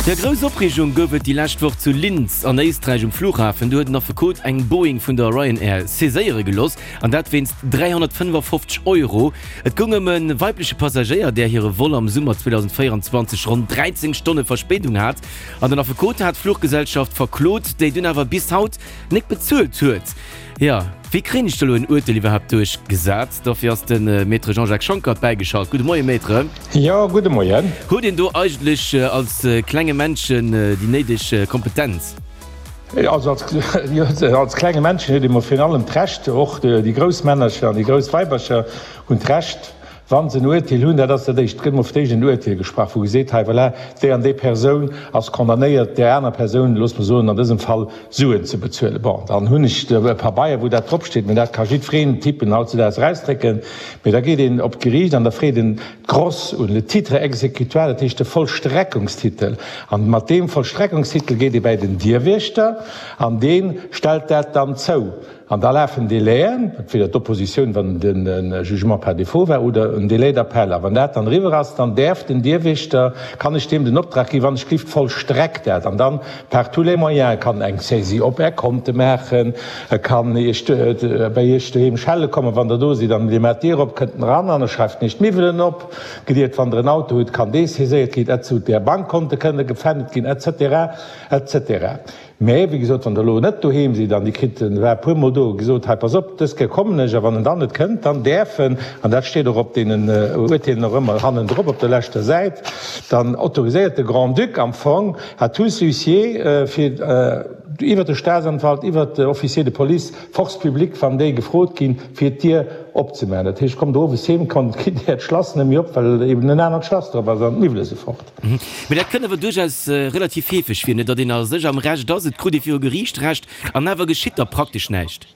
Jo, grouss Opreegung gouf et déi lescht Woch zu Linz an Éisträich um Flughafen. Do huet en Affekot eng Boeing vun der Ryanair saiséiere gelooss, an dat wéinst 355 Euro. Et goung ëm e weibleche Passagéier, där hire Vol am Summer 2024 ronn 13 Stonne Verspéidung hat. An den Affekot hat d'Fluchgesellschaft verklot, déi dunn awer bis haut nek bezuelt huet. Jo, wéi kréien ech da lo en Urteel iwwerhaapt duerchgesat? Dofir ass de Maître Jean-Jacques Schonckert bäigeschalt. Gudde Moien, Maître. Jo, gudde Moien. Huet een do eigentlech als klenge Männchen déi néideg Kompetenz? Also als klenge Männchen huet ee mol virun allem d'Recht, och déi grouss Männercher an déi grouss Weibercher hunn d'Recht, wa se en Urteel hunn, dat ass dat Éischt, et gëtt emol fir d'éischt en Urteel gesprach, wou geseet, hei voilà, déi an déi Persoun ass condamnéiert, där aner Persoun, loosse mer soen an dësem Fall, Suen ze bezuelen. Bon, dann hunn ech e Pabeier, wou dat dropsteet, mä dat ka jiddwereen tippen hautzedaags erausdrécken. Mä da geet een op d'Geriicht an da freet en d'Gross un, le titre exécutoire, dat heescht de Vollstreckungstitel. An mat deem Vollstreckungstitel geet ee bäi den Dierwiechter an dee stellt dat dann zou. An da lafen Délaiën, entweder d'Oppositioun, wann de Jugement par défaut war, oder en Délai d'appel. A wann dat dann eriwwer ass, dann däerf den Dierwächter, kann ech deem den Optrag ginn, wann ech gelift, vollstreck dat. An dann par tous les moyens, e kann eng Saisie op Är Konte maachen, e kann Iech bei Iech doheem schelle kommen, wann Der do sidd, an Dir maacht d'Dier op, kënnt en eran an e schreift Iech d'Miwwelen op, geliert, wann Der en Auto hutt, kann dee saiséiert ginn, et sou, Är Bankkonte kënne gefännt ginn, et cetera, et cetera. Mä wéi gesot, wann Der elo net doheem sidd an Dir kritt, en war e puermol do, gesot, hei pass op, dës Kéier kommen ech, a wann en dann net kënnt, dann däerf en, an dat steet och op deenen Urteelen och ëmmer hannendrop op der leschter Säit, dann autoriséiert de Grand-Duc am Fong à tous huissiers, fir iwwert de Staatsanwalt, iwwert de Officier de police, force publique, wann déi gefrot ginn, fir d'Dier opzemaachen. Dat heescht, kommt owes heem, kommt, kritt Äert Schlass net méi op, well eben en anert Schlass drop ass an d'Miwwele si fort. Mee dat kënnt awer duerchaus relativ heefeg vir, net, datt een a sech am Recht ass, et krut ee viru Geriicht Recht, an awer geschitt da praktesch näischt.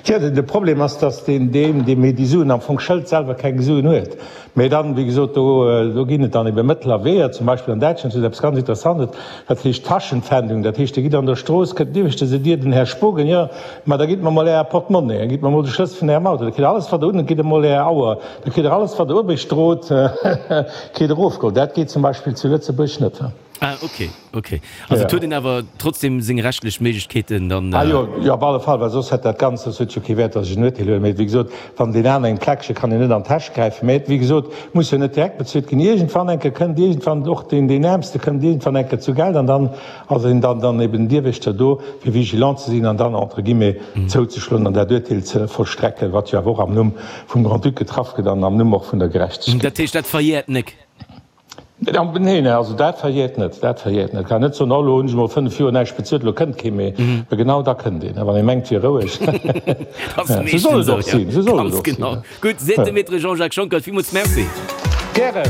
Tja, de Problem ass, datt deen, deem, deem hie déi Suen am Fong schëllt, selwer keng Suen huet. Mee dann, wéi gesot, do, do ginn et dann ebe Mëttel a Weeër. Zum Beispill an Däitschland huet se eppes ganz Interessantes, dat heescht Taschenpfändung. Dat heescht, Dir gitt an der Strooss, kënnt niewescht se Dir, den Här Spogen, jo, ma da gitt mer mol Äer Portemonnaie, gitt mer mol de Schlëssel vun Ärem Auto, da kritt Der alles, wat Der un hutt, gitt emol Är Auer, Da kritt der alles wat der uewecht drot, kritt der ofgeholl. Dat geet zum Beispill zu Lëtzebuerg net. Ah ok, ok. Also et huet een awer trotzdem seng rechtlech Méiglechkeeten dann. Ah jo, jo op alle Fall, well soss hätt dat Ganzt, soss huet jo kee Wäert, datt ech en Urteel huelen. Mee wéi gesot, wann deen aneren eng Pläckche kann een net an d'Täsch gräifen. Mee wéi gesot, muss jo net direkt bezuelt ginn. Iergendwann eng Kéier kënnt iergendwann och deen, deen Äermste kënnt iergendwann eng Kéier zu Geld an dann ass een dann dann eben den Dierwächter do, fir vigilant ze sinn an dann entre guillemets zouzeschloen an dat Urteel ze vollstrecken, wat jo awer och am Numm vum Grand-Duc getraff gëtt an am Numm och vun der Gerechtegkeet. Dat heescht, dat verjäert nek? Neen, also dat verjäert net, dat verjäert net. Kann net soen, oh elo hunn ech emol 5 Joer näischt bezuelt, elo kënnt kee méi. Mä genau da kënnt een, wann ee mengt, wier roueg. Esou soll et och sinn, esou soll et och sinn. Gutt, seet de Maître Jean-Jacques Schonckert. Villmools Merci. Gären.